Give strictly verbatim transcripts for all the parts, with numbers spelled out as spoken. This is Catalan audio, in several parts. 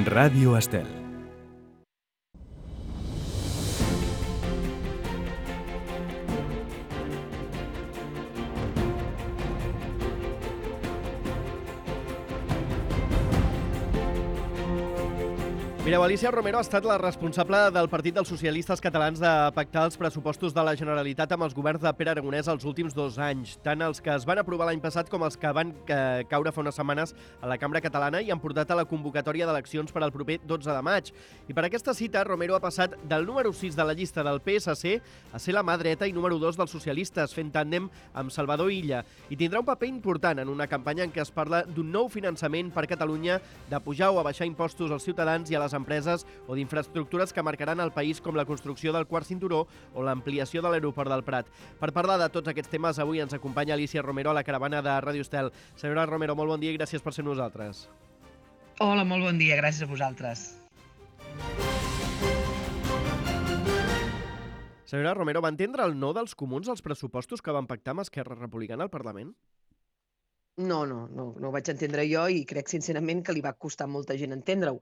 Ràdio Estel. Mireu, Alícia Romero ha estat la responsable del Partit dels Socialistes Catalans de pactar els pressupostos de la Generalitat amb els governs de Pere Aragonès els últims dos anys, tant els que es van aprovar l'any passat com els que van eh, caure fa unes setmanes a la Cambra Catalana i han portat a la convocatòria d'eleccions per al proper dotze de maig. I per aquesta cita, Romero ha passat del número sis de la llista del P S C a ser la mà dreta i número dos dels socialistes, fent tàndem amb Salvador Illa. I tindrà un paper important en una campanya en què es parla d'un nou finançament per Catalunya, de pujar o abaixar impostos als ciutadans i a les empreses o d'infraestructures que marcaran el país com la construcció del quart cinturó o l'ampliació de l'aeroport del Prat. Per parlar de tots aquests temes, avui ens acompanya Alícia Romero a la caravana de Ràdio Estel. Senyora Romero, molt bon dia i gràcies per ser nosaltres. Hola, molt bon dia, gràcies a vosaltres. Senyora Romero, va entendre el no dels comuns als pressupostos que van pactar amb Esquerra Republicana al Parlament? No, no, no, no ho vaig entendre jo i crec sincerament que li va costar a molta gent entendre-ho,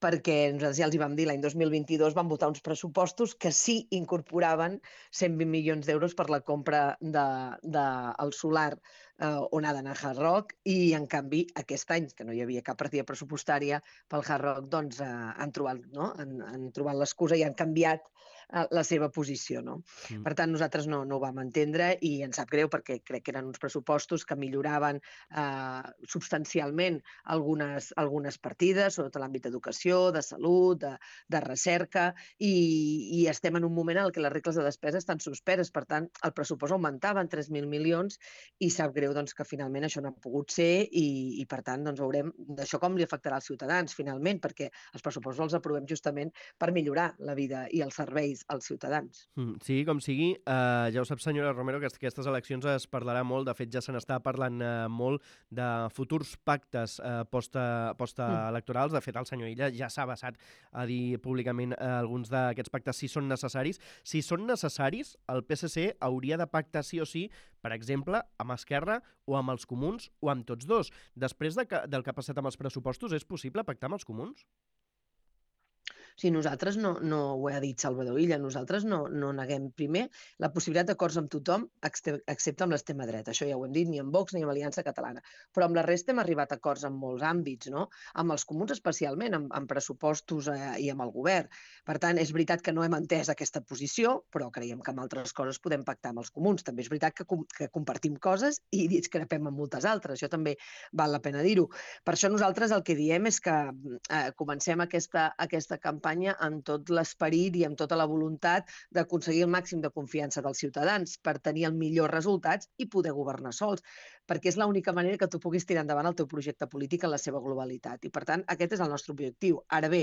perquè nosaltres ja els hi vam dir, l'any dos mil vint-i-dos van votar uns pressupostos que sí incorporaven cent vint milions d'euros per la compra del de, de solar eh, on ha d'anar Hard Rock, i en canvi aquest any, que no hi havia cap partida pressupostària pel Hard Rock, doncs eh, han trobat, no? han, han trobat l'excusa i han canviat eh, la seva posició. No? Mm. Per tant, nosaltres no, no ho vam entendre i ens sap greu perquè crec que eren uns pressupostos que milloraven eh, substancialment algunes, algunes partides, sobretot l'àmbit d'educació, de salut, de, de recerca, i, i estem en un moment en què les regles de despesa estan suspeses. Per tant, el pressupost augmentava en tres mil milions i sap greu doncs, que finalment això no ha pogut ser i, i per tant, doncs, veurem d'això com li afectarà als ciutadans, finalment, perquè els pressupostos els aprovem justament per millorar la vida i els serveis als ciutadans. Mm, sigui com sigui, eh, ja ho sap, senyora Romero, que aquestes eleccions es parlarà molt, de fet ja se n'està parlant eh, molt de futurs pactes eh, post-electorals. De fet, el senyor Illa ja s'ha basat a dir públicament eh, alguns d'aquests pactes si són necessaris. Si són necessaris, el P S C hauria de pactar sí o sí, per exemple, amb Esquerra o amb els comuns o amb tots dos. Després de que, del que ha passat amb els pressupostos, és possible pactar amb els comuns? Si nosaltres no, no ho ha dit Salvador Illa, nosaltres no, no neguem primer la possibilitat d'acords amb tothom, excepte amb l'extrema dreta. Això ja ho hem dit, ni amb Vox ni amb Aliança Catalana. Però amb la resta hem arribat a acords en molts àmbits, no? Amb els comuns especialment, amb, amb pressupostos eh, i amb el govern. Per tant, és veritat que no hem entès aquesta posició, però creiem que amb altres coses podem pactar amb els comuns. També és veritat que, com, que compartim coses i discrepem amb moltes altres. Això també val la pena dir-ho. Per això nosaltres el que diem és que eh, comencem aquesta, aquesta campanya amb tot l'esperit i amb tota la voluntat d'aconseguir el màxim de confiança dels ciutadans per tenir els millors resultats i poder governar sols, perquè és l'única manera que tu puguis tirar endavant el teu projecte polític en la seva globalitat. I, per tant, aquest és el nostre objectiu. Ara bé,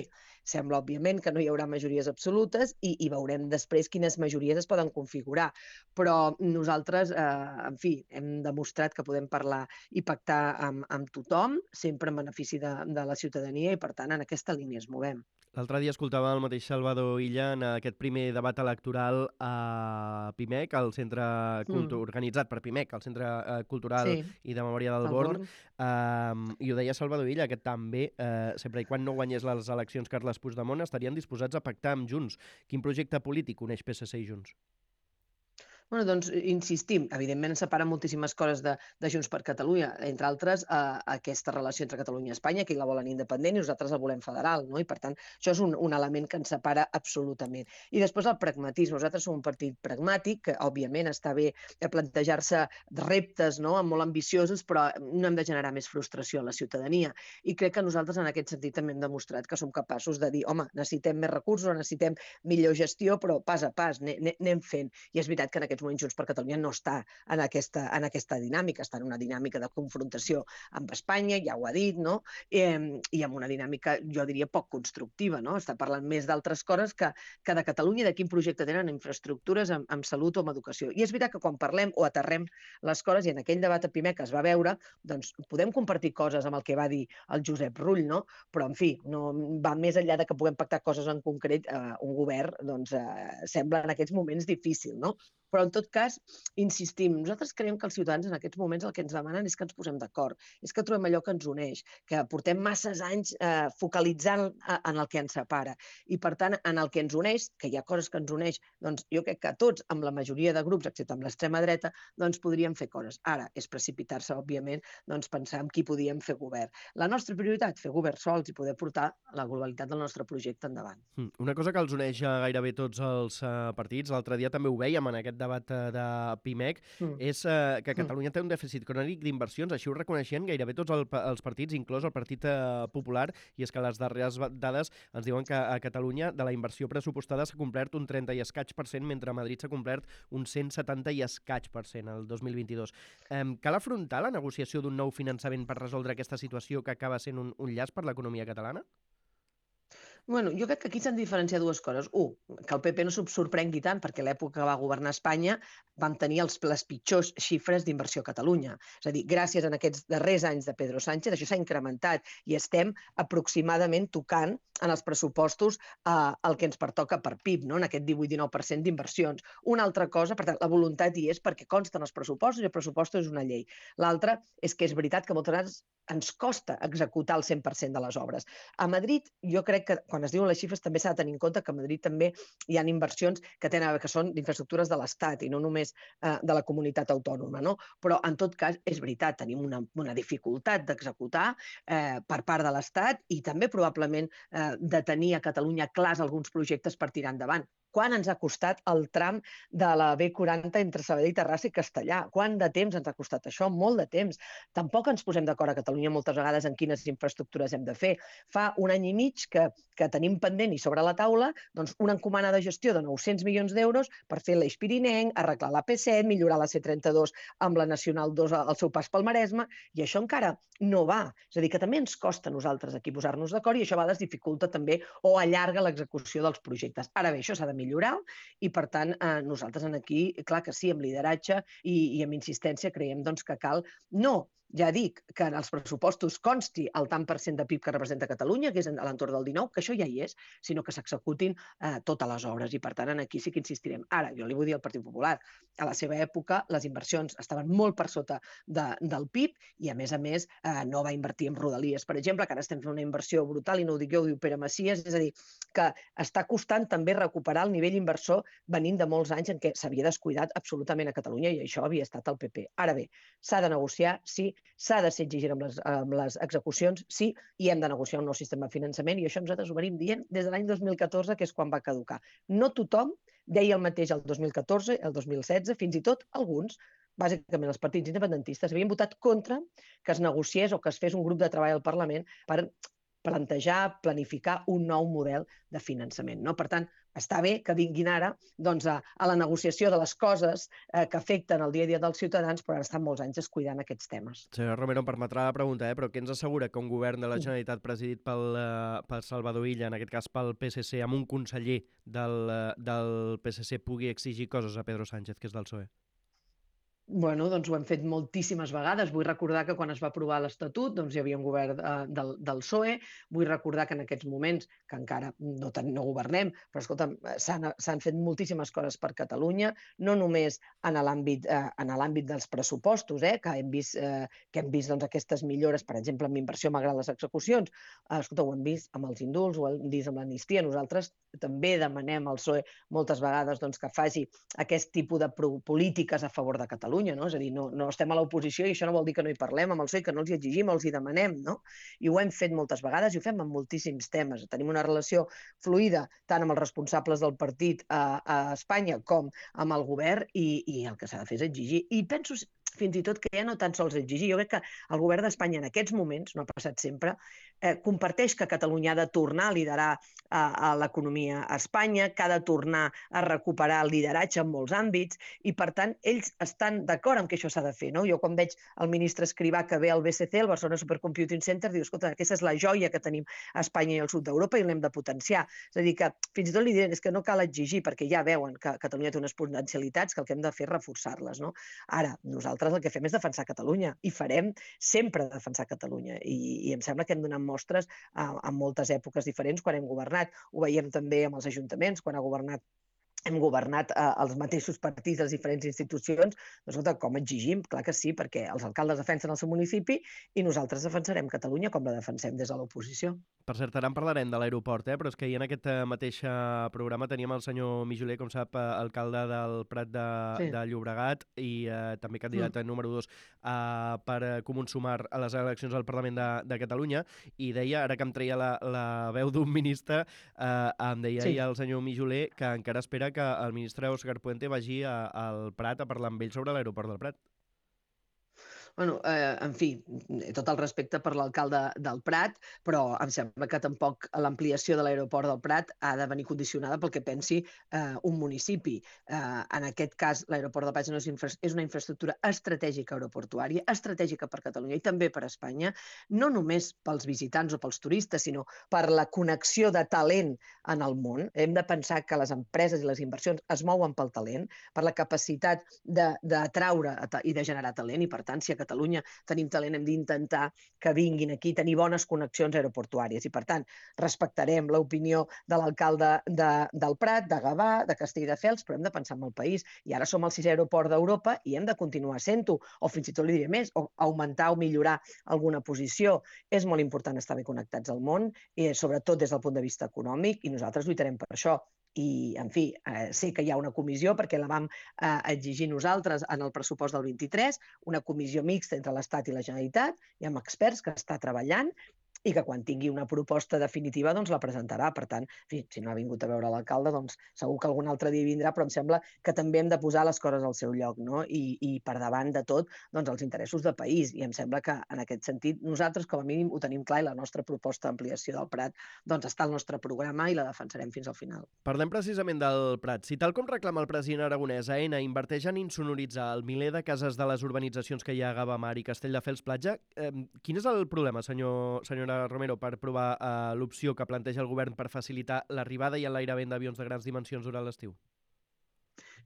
sembla, òbviament, que no hi haurà majories absolutes i, i veurem després quines majories es poden configurar. Però nosaltres, eh, en fi, hem demostrat que podem parlar i pactar amb, amb tothom, sempre en benefici de, de la ciutadania i, per tant, en aquesta línia es movem. L'altre dia escoltava el mateix Salvador Illa en aquest primer debat electoral a Pimec, al centre cultu- mm. organitzat per Pimec, al Centre eh, Cultural sí. i de Memòria del Born, um, i ho deia Salvador Illa, que també, eh, sempre i quan no guanyés les eleccions Carles Puigdemont, estarien disposats a pactar amb Junts. Quin projecte polític uneix P S C i Junts? Bueno, doncs, insistim, evidentment ens separen moltíssimes coses de, de Junts per Catalunya, entre altres eh, aquesta relació entre Catalunya i Espanya, que la volen independent i nosaltres la volem federal, no? I per tant això és un, un element que ens separa absolutament. I després el pragmatisme, nosaltres som un partit pragmàtic, que òbviament està bé de plantejar-se reptes, no?, molt ambiciosos, però no hem de generar més frustració a la ciutadania. I crec que nosaltres en aquest sentit també hem demostrat que som capaços de dir, home, necessitem més recursos, necessitem millor gestió, però pas a pas, anem fent. I és veritat que en aquest moments Junts per Catalunya no està en aquesta, en aquesta dinàmica, està en una dinàmica de confrontació amb Espanya, ja ho ha dit, no? Eh, i amb una dinàmica, jo diria, poc constructiva, no? Està parlant més d'altres coses que, que de Catalunya, de quin projecte tenen en infraestructures, en, en salut o en educació. I és veritat que quan parlem o aterrem les coses, i en aquell debat a Pimec es va veure, doncs podem compartir coses amb el que va dir el Josep Rull, no? Però, en fi, no va més enllà de que puguem pactar coses en concret, eh, un govern, doncs, eh, sembla en aquests moments difícil, no? Però, en tot cas, insistim, nosaltres creiem que els ciutadans en aquests moments el que ens demanen és que ens posem d'acord, és que trobem allò que ens uneix, que portem masses anys eh, focalitzant en el que ens separa. I, per tant, en el que ens uneix, que hi ha coses que ens uneix, doncs jo crec que tots, amb la majoria de grups, excepte amb l'extrema dreta, doncs podríem fer coses. Ara, és precipitar-se, òbviament, doncs pensar en qui podíem fer govern. La nostra prioritat, fer govern sols i poder portar la globalitat del nostre projecte endavant. Una cosa que els uneix a gairebé tots els uh, partits, l'altre dia també ho veiem en aquest debat uh, de PIMEC, mm. és uh, que Catalunya té un dèficit crònic d'inversions, així ho reconeixien gairebé tots el, els partits, inclòs el Partit uh, Popular, i és que les darreres dades ens diuen que a Catalunya de la inversió pressupostada s'ha complert un trenta i escaig per cent, mentre a Madrid s'ha complert un cent setanta i escaig per cent el dos mil vint-i-dos. Um, cal afrontar la negociació d'un nou finançament per resoldre aquesta situació que acaba sent un, un llast per l'economia catalana? Bueno, jo crec que aquí s'han de diferenciar dues coses. Un, que el P P no se'l sorprengui tant, perquè l'època que va governar Espanya vam tenir els, les pitjors xifres d'inversió a Catalunya. És a dir, gràcies a aquests darrers anys de Pedro Sánchez, això s'ha incrementat i estem aproximadament tocant en els pressupostos eh, el que ens pertoca per P I B, no? En aquest divuit dinou per cent d'inversions. Una altra cosa, per tant, la voluntat hi és perquè consten els pressupostos i el pressupost és una llei. L'altra és que és veritat que moltes vegades ens costa executar el cent per cent de les obres. A Madrid, jo crec que quan es diuen les xifres també s'ha de tenir en compte que a Madrid també hi ha inversions que tenen a veure que són d'infraestructures de l'Estat i no només eh, de la comunitat autònoma, no? Però en tot cas és veritat, tenim una, una dificultat d'executar eh, per part de l'Estat i també probablement eh, de tenir a Catalunya clars alguns projectes per tirar endavant. Quant ens ha costat el tram de la B quaranta entre Sabadell, Terrassa i Castellà? Quant de temps ens ha costat això? Molt de temps. Tampoc ens posem d'acord a Catalunya moltes vegades en quines infraestructures hem de fer. Fa un any i mig que, que tenim pendent i sobre la taula doncs, una encomana de gestió de nou-cents milions d'euros per fer l'Eix Pirinenc, arreglar la P set, millorar la C trenta-dos amb la Nacional dos al seu pas pel Maresme, i això encara no va. És a dir, que també ens costa a nosaltres aquí posar-nos d'acord i això a vegades dificulta també o allarga l'execució dels projectes. Ara bé, això s'ha de millorar i, per tant, eh, nosaltres en aquí, clar que sí, amb lideratge i, i amb insistència creiem doncs, que cal no, ja dic, que en els pressupostos consti el tant per cent de P I B que representa Catalunya, que és a l'entorn del dinou, que això ja hi és, sinó que s'executin eh, totes les obres i, per tant, en aquí sí que insistirem. Ara, jo li vull dir al Partit Popular, a la seva època les inversions estaven molt per sota de, del P I B i, a més a més, eh, no va invertir en Rodalies, per exemple, que ara estem fent una inversió brutal i no ho dic jo, ho diu Pere Macias, és a dir, que està costant també recuperar el nivell inversor venint de molts anys en què s'havia descuidat absolutament a Catalunya i això havia estat el P P. Ara bé, s'ha de negociar, sí, s'ha de ser exigent amb les, amb les execucions, sí, i hem de negociar un nou sistema de finançament i això nosaltres ho venim dient des de l'any dos mil catorze, que és quan va caducar. No tothom deia el mateix el dos mil catorze, el dos mil setze, fins i tot alguns, bàsicament els partits independentistes, havien votat contra que es negociés o que es fes un grup de treball al Parlament per plantejar, planificar un nou model de finançament. No? Per tant, està bé que vinguin ara doncs, a, a la negociació de les coses eh, que afecten el dia a dia dels ciutadans, però han estat molts anys descuidant aquests temes. Senyora Romero, em permetrà la pregunta, eh? però què ens assegura que un govern de la Generalitat presidit pel, uh, pel Salvador Illa, en aquest cas pel P S C, amb un conseller del, uh, del P S C, pugui exigir coses a Pedro Sánchez, que és del P S O E? Bueno, doncs ho hem fet moltíssimes vegades. Vull recordar que quan es va aprovar l'Estatut doncs hi havia un govern eh, del, del P S O E. Vull recordar que en aquests moments, que encara no, ten, no governem, però escolta'm, s'han fet moltíssimes coses per Catalunya, no només en l'àmbit eh, en l'àmbit dels pressupostos, eh, que hem vist, eh, que hem vist doncs, aquestes millores, per exemple, amb inversió malgrat les execucions. Eh, escolta, ho hem vist amb els indults, ho hem vist amb l'amnistia. Nosaltres també demanem al P S O E moltes vegades doncs, que faci aquest tipus de polítiques a favor de Catalunya. No? És a dir, no, no estem a l'oposició i això no vol dir que no hi parlem amb el P S O E, que no els hi exigim, els hi demanem, no? I ho hem fet moltes vegades i ho fem amb moltíssims temes. Tenim una relació fluida tant amb els responsables del partit a, a Espanya com amb el govern i, i el que s'ha de fer és exigir. I penso fins i tot que ja no tan sols exigir. Jo crec que el govern d'Espanya en aquests moments, no ha passat sempre, eh, comparteix que Catalunya ha de tornar a liderar eh, a l'economia a Espanya, que ha de tornar a recuperar el lideratge en molts àmbits i, per tant, ells estan d'acord amb que això s'ha de fer. No? Jo quan veig el ministre Escrivà que ve al B C C, el Barcelona Supercomputing Center, diu, escolta, aquesta és la joia que tenim a Espanya i al sud d'Europa i l'hem de potenciar. És a dir, que fins i tot li diuen és que no cal exigir perquè ja veuen que Catalunya té unes potencialitats que el que hem de fer és reforçar-les. No? Ara, nosaltres el que fem és defensar Catalunya i farem sempre defensar Catalunya i, i em sembla que hem donat mostres a, a moltes èpoques diferents quan hem governat. Ho veiem també amb els ajuntaments, quan ha governat hem governat eh, els mateixos partits, les diferents institucions, doncs, escolta, com exigim? Clar que sí, perquè els alcaldes defensen el seu municipi i nosaltres defensarem Catalunya com la defensem des de l'oposició. Per cert, ara en parlarem de l'aeroport, eh? però és que ahir en aquest eh, mateix eh, programa teníem el senyor Mijoler, com sap, eh, alcalde del Prat de, Sí. de Llobregat i eh, també candidat Mm. número dos eh, per eh, Comú Sumar a les eleccions al Parlament de, de Catalunya, i deia, ara que em treia la, la veu d'un ministre, eh, em deia Sí. ahir el senyor Mijoler que encara espera que el ministre Òscar Puente vagi a, al Prat a parlar amb ell sobre l'aeroport del Prat. Bueno, eh, en fi, tot el respecte per l'alcalde del Prat, però em sembla que tampoc l'ampliació de l'aeroport del Prat ha de venir condicionada pel que pensi eh, un municipi. Eh, en aquest cas, l'aeroport del Prat és una, infra és una infraestructura estratègica aeroportuària, estratègica per Catalunya i també per Espanya, no només pels visitants o pels turistes, sinó per la connexió de talent en el món. Hem de pensar que les empreses i les inversions es mouen pel talent, per la capacitat d'atraure i de generar talent, i per tant, si a Catalunya tenim talent, hem d'intentar que vinguin aquí, tenir bones connexions aeroportuàries. I, per tant, respectarem l'opinió de l'alcalde de, del Prat, de Gavà, de Castelldefels, però hem de pensar en el país. I ara som el sisè aeroport d'Europa i hem de continuar sent-ho, o fins i tot li diré més, o augmentar o millorar alguna posició. És molt important estar bé connectats al món, i sobretot des del punt de vista econòmic, i nosaltres lluitarem per això. I, en fi, eh, sé que hi ha una comissió, perquè la vam eh, exigir nosaltres en el pressupost del vint-i-tres, una comissió mixta entre l'Estat i la Generalitat, i amb experts que està treballant, i que quan tingui una proposta definitiva doncs la presentarà. Per tant, en fi, si no ha vingut a veure l'alcalde, doncs segur que algun altre dia vindrà, però em sembla que també hem de posar les coses al seu lloc, no? I, i per davant de tot, doncs, els interessos de país. I em sembla que en aquest sentit nosaltres, com a mínim, ho tenim clar, i la nostra proposta d'ampliació del Prat doncs, està al nostre programa i la defensarem fins al final. Parlem precisament del Prat. Si tal com reclama el president aragonès, Aena inverteix en insonoritzar el miler de cases de les urbanitzacions que hi ha a Gavamar i Castelldefels Platja, eh, quin és el problema, senyor, senyora Romero, per provar eh, l'opció que planteja el govern per facilitar l'arribada i l'enlairament d'avions de grans dimensions durant l'estiu?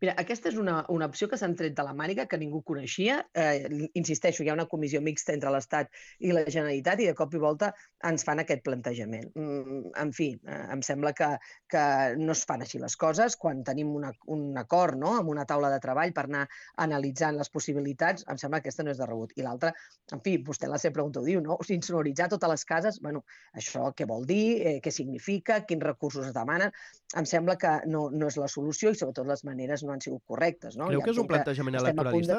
Mira, aquesta és una, una opció que s'han tret de la màniga, que ningú coneixia. Eh, insisteixo, hi ha una comissió mixta entre l'Estat i la Generalitat i de cop i volta ens fan aquest plantejament. Mm, en fi, eh, em sembla que, que no es fan així les coses. Quan tenim una, un acord, no?, amb una taula de treball per anar analitzant les possibilitats, em sembla que aquesta no és de rebut. I l'altra, en fi, vostè en la seva pregunta ho diu, no? O sigui, insonoritzar totes les cases, bueno, això què vol dir, eh, què significa, quins recursos es demanen? Em sembla que no, no és la solució i sobretot les maneres no han sigut correctes. No? Creu Ja que és un entenc que plantejament estem a punt de... electoralista?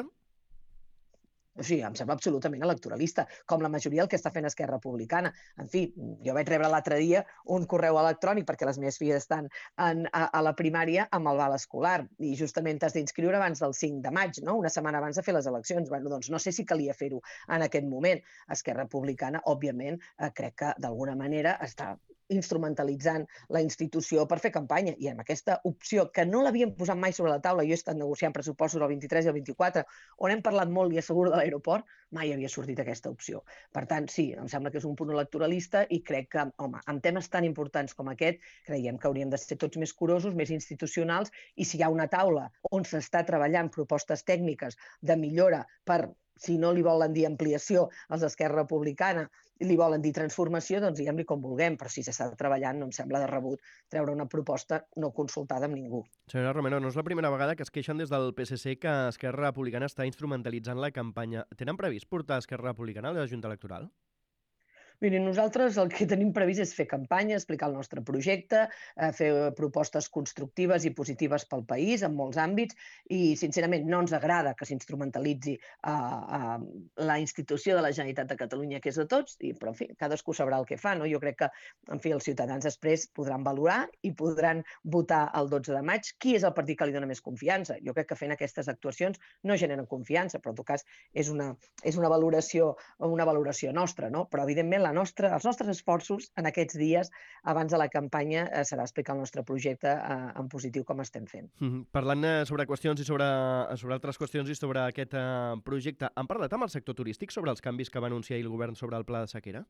O sigui, em sembla absolutament electoralista, com la majoria del que està fent Esquerra Republicana. En fi, jo vaig rebre l'altre dia un correu electrònic perquè les meves filles estan en, a, a la primària amb el val escolar i justament t'has d'inscriure abans del cinc de maig, no? Una setmana abans de fer les eleccions. Bueno, doncs no sé si calia fer-ho en aquest moment. Esquerra Republicana, òbviament, eh, crec que d'alguna manera està instrumentalitzant la institució per fer campanya, i amb aquesta opció que no l'havíem posat mai sobre la taula, jo he estat negociant pressupostos el vint-i-tres i el vint-i-quatre, on hem parlat molt, li asseguro, de l'aeroport, mai havia sortit aquesta opció. Per tant, sí, em sembla que és un punt electoralista i crec que, home, en temes tan importants com aquest, creiem que hauríem de ser tots més curosos, més institucionals, i si hi ha una taula on s'està treballant propostes tècniques de millora per, si no li volen dir ampliació als d'Esquerra Republicana, li volen dir transformació, doncs diguem-li com vulguem, però si s'està treballant no em sembla de rebut treure una proposta no consultada amb ningú. Senyora Romero, no és la primera vegada que es queixen des del P S C que Esquerra Republicana està instrumentalitzant la campanya. Tenen previst portar Esquerra Republicana a la Junta Electoral? Miri, nosaltres el que tenim previst és fer campanya, explicar el nostre projecte, eh, fer propostes constructives i positives pel país en molts àmbits i, sincerament, no ens agrada que s'instrumentalitzi eh, eh, la institució de la Generalitat de Catalunya, que és de tots, i, però, en fi, cadascú sabrà el que fa, no? Jo crec que, en fi, els ciutadans després podran valorar i podran votar el dotze de maig qui és el partit que li dona més confiança. Jo crec que fent aquestes actuacions no generen confiança, però, en tot cas, és una, és una valoració, una valoració nostra, no? Però, evidentment, la nostra, els nostres esforços en aquests dies abans de la campanya eh, serà explicar el nostre projecte eh, en positiu com estem fent. Mm-hmm. Parlant eh, sobre qüestions i sobre, sobre altres qüestions i sobre aquest eh, projecte, han parlat amb el sector turístic sobre els canvis que va anunciar el govern sobre el pla de sequera?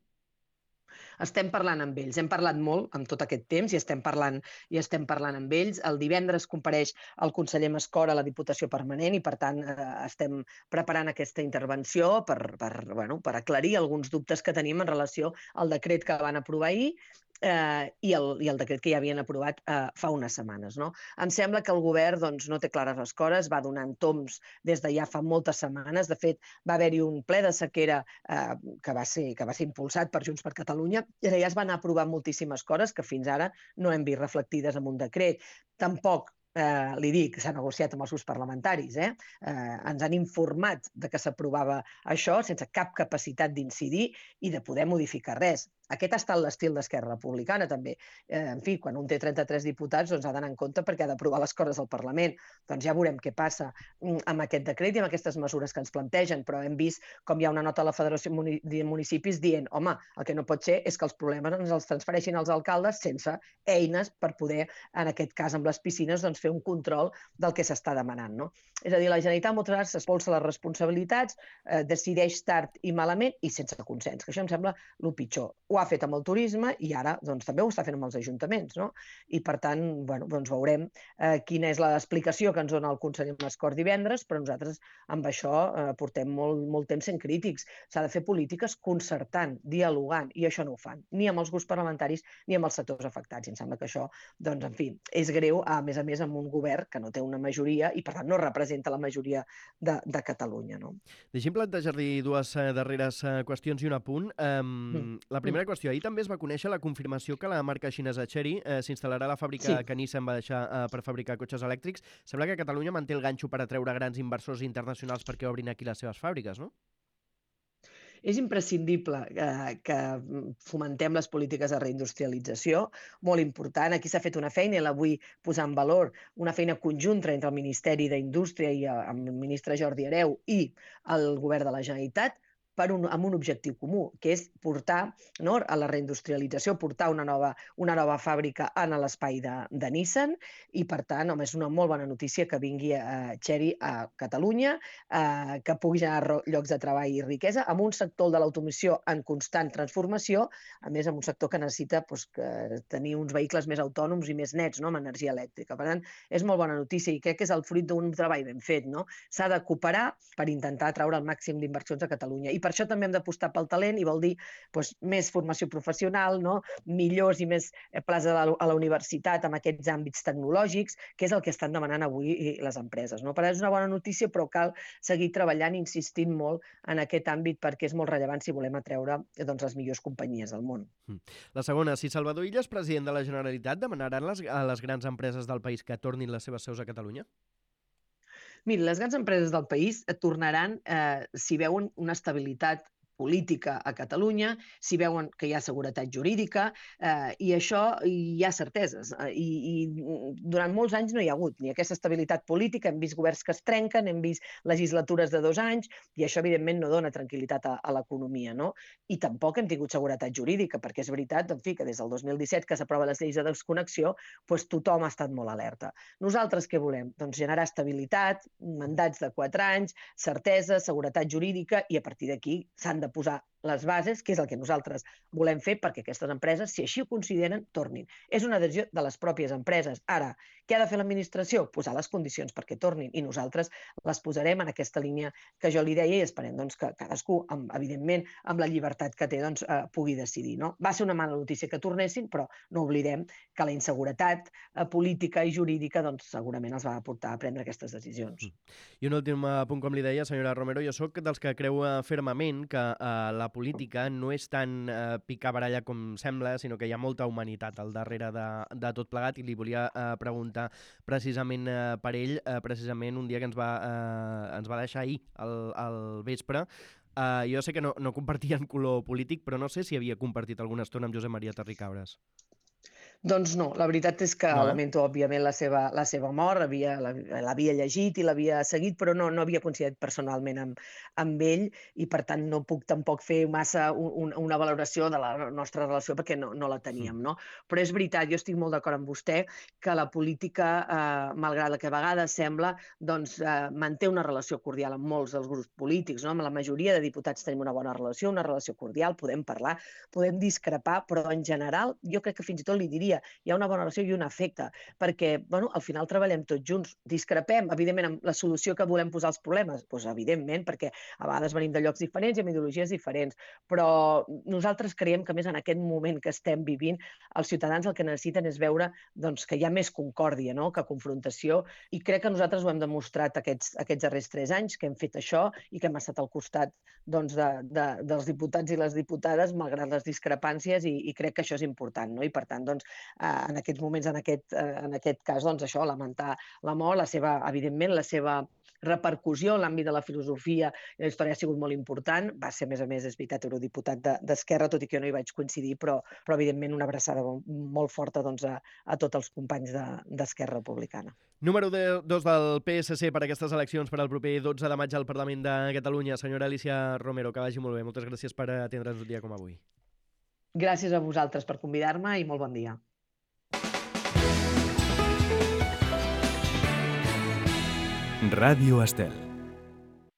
Estem parlant amb ells, hem parlat molt amb tot aquest temps i estem parlant i estem parlant amb ells. El divendres compareix el conseller Mascora a la Diputació Permanent i, per tant, eh, estem preparant aquesta intervenció per, per, bueno, per aclarir alguns dubtes que tenim en relació al decret que van aprovar ahir eh, i, el, i el decret que ja havien aprovat eh, fa unes setmanes. No? Em sembla que el govern doncs, no té clares les coses, va donant toms des de ja fa moltes setmanes. De fet, va haver-hi un ple de sequera eh, que, va ser, que va ser impulsat per Junts per Catalunya, i ja es van aprovar moltíssimes coses que fins ara no hem vist reflectides en un decret. Tampoc Eh, li dic, s'ha negociat amb els grups parlamentaris, eh? Eh, ens han informat de que s'aprovava això sense cap capacitat d'incidir i de poder modificar res. Aquest ha estat l'estil d'Esquerra Republicana, també. Eh, en fi, quan un té trenta-tres diputats, doncs ha d'anar en compte perquè ha d'aprovar les coses al Parlament. Doncs ja veurem què passa amb aquest decret i amb aquestes mesures que ens plantegen, però hem vist com hi ha una nota a la Federació de Municipis dient home, el que no pot ser és que els problemes ens els transfereixin als alcaldes sense eines per poder, en aquest cas amb les piscines, doncs fer un control del que s'està demanant. No? És a dir, la Generalitat moltes vegades s'espolsa les responsabilitats, eh, decideix tard i malament i sense consens, que això em sembla el pitjor. Ho ha fet amb el turisme i ara doncs, també ho està fent amb els ajuntaments. No? I per tant, bueno, doncs veurem eh, quina és l'explicació que ens dona el conseller Mascort divendres, però nosaltres amb això eh, portem molt, molt temps sent crítics. S'ha de fer polítiques concertant, dialogant, i això no ho fan, ni amb els grups parlamentaris ni amb els sectors afectats. I em sembla que això, doncs, en fi, és greu, a més a més, amb un govern que no té una majoria i, per tant, no representa la majoria de, de Catalunya. No? Deixi'm plantejar-li dues eh, darreres eh, qüestions i un apunt. Um, Mm. la primera qüestió, ahir també es va conèixer la confirmació que la marca xinesa Chery eh, s'instal·larà a la fàbrica Sí. que Nissan va deixar eh, per fabricar cotxes elèctrics. Sembla que Catalunya manté el ganxo per atreure grans inversors internacionals perquè obrin aquí les seves fàbriques, no? És imprescindible eh, que fomentem les polítiques de reindustrialització, molt important. Aquí s'ha fet una feina i la vull posar en valor, una feina conjunta entre el Ministeri d'Indústria i eh, amb el ministre Jordi Hereu i el Govern de la Generalitat, per un, amb un objectiu comú, que és portar, no, a la reindustrialització, portar una nova, una nova fàbrica en l'espai de, de Nissan, i per tant, home, és una molt bona notícia que vingui a Chery a Catalunya, eh, que pugui generar llocs de treball i riquesa, amb un sector de l'automoció en constant transformació, a més, amb un sector que necessita doncs, que tenir uns vehicles més autònoms i més nets, no, amb energia elèctrica. Per tant, és molt bona notícia i crec que és el fruit d'un treball ben fet. No? S'ha de cooperar per intentar atraure el màxim d'inversions a Catalunya. I per això també hem d'apostar pel talent i vol dir doncs, més formació professional, no? millors i més places a la, a la universitat amb aquests àmbits tecnològics, que és el que estan demanant avui les empreses. No? Per tant, és una bona notícia, però cal seguir treballant i insistint molt en aquest àmbit perquè és molt rellevant si volem atreure doncs, les millors companyies del món. La segona, si Salvador Illa és president de la Generalitat, demanaran les, a les grans empreses del país que tornin les seves seus a Catalunya? Mira, les grans empreses del país tornaran eh, si veuen una estabilitat política a Catalunya, si veuen que hi ha seguretat jurídica, eh, i això hi ha certeses. Eh, i, I durant molts anys no hi ha hagut ni aquesta estabilitat política, hem vist governs que es trenquen, hem vist legislatures de dos anys, i això evidentment no dona tranquil·litat a, a l'economia. No? I tampoc hem tingut seguretat jurídica, perquè és veritat en fi, que des del dos mil disset que s'aprova les lleis de desconnexió, doncs tothom ha estat molt alerta. Nosaltres què volem? Doncs generar estabilitat, mandats de quatre anys, certesa, seguretat jurídica, i a partir d'aquí s'han de de posar les bases, que és el que nosaltres volem fer perquè aquestes empreses, si així ho consideren, tornin. És una decisió de les pròpies empreses. Ara, què ha de fer l'administració? Posar les condicions perquè tornin, i nosaltres les posarem en aquesta línia que jo li deia i esperem doncs, que cadascú, amb, evidentment, amb la llibertat que té, doncs, eh, pugui decidir. No? Va ser una mala notícia que tornessin, però no oblidem que la inseguretat eh, política i jurídica doncs, segurament els va portar a prendre aquestes decisions. I un últim punt, com li deia, senyora Romero, jo sóc dels que creu fermament que eh, la política no és tan eh, picar baralla com sembla, sinó que hi ha molta humanitat al darrere de, de tot plegat, i li volia eh, preguntar precisament eh, per ell, eh, precisament un dia que ens va, eh, ens va deixar ahir al, al vespre. Eh, jo sé que no, no compartien color polític, però no sé si havia compartit alguna estona amb Josep Maria Terricabras. Doncs no, la veritat és que no, eh? lamento, òbviament, la seva, la seva mort, l'havia llegit i l'havia seguit, però no, no havia coincidit personalment amb, amb ell, i per tant no puc tampoc fer massa un, una valoració de la nostra relació perquè no, no la teníem. No? Però és veritat, jo estic molt d'acord amb vostè, que la política, eh, malgrat que a vegades sembla, doncs, eh, manté una relació cordial amb molts dels grups polítics. No? Amb la majoria de diputats tenim una bona relació, una relació cordial, podem parlar, podem discrepar, però en general jo crec que fins i tot li diria dia hi ha una bona relació i un afecte, perquè bueno, al final treballem tots junts, discrepem, evidentment, amb la solució que volem posar als problemes, doncs evidentment, perquè a vegades venim de llocs diferents i amb ideologies diferents, però nosaltres creiem que més en aquest moment que estem vivint, els ciutadans el que necessiten és veure doncs, que hi ha més concòrdia, no?, que confrontació, i crec que nosaltres ho hem demostrat aquests, aquests darrers tres anys, que hem fet això i que hem estat al costat doncs, de, de, dels diputats i les diputades, malgrat les discrepàncies, i, i crec que això és important, no? I per tant, doncs, eh, en aquests moments, en aquest, eh, en aquest cas, doncs, això, lamentar la mort, la seva, evidentment, la seva repercussió en l'àmbit de la filosofia i la història ha sigut molt important. Va ser, a més a més, és veritat, eurodiputat d'Esquerra, tot i que jo no hi vaig coincidir, però, però evidentment, una abraçada molt forta doncs, a, a tots els companys d'Esquerra Republicana. Número dos del P S C per aquestes eleccions per al proper dotze de maig al Parlament de Catalunya. Senyora Alícia Romero, que vagi molt bé. Moltes gràcies per atendre'ns un dia com avui. Gràcies a vosaltres per convidar-me i molt bon dia. Ràdio Estel.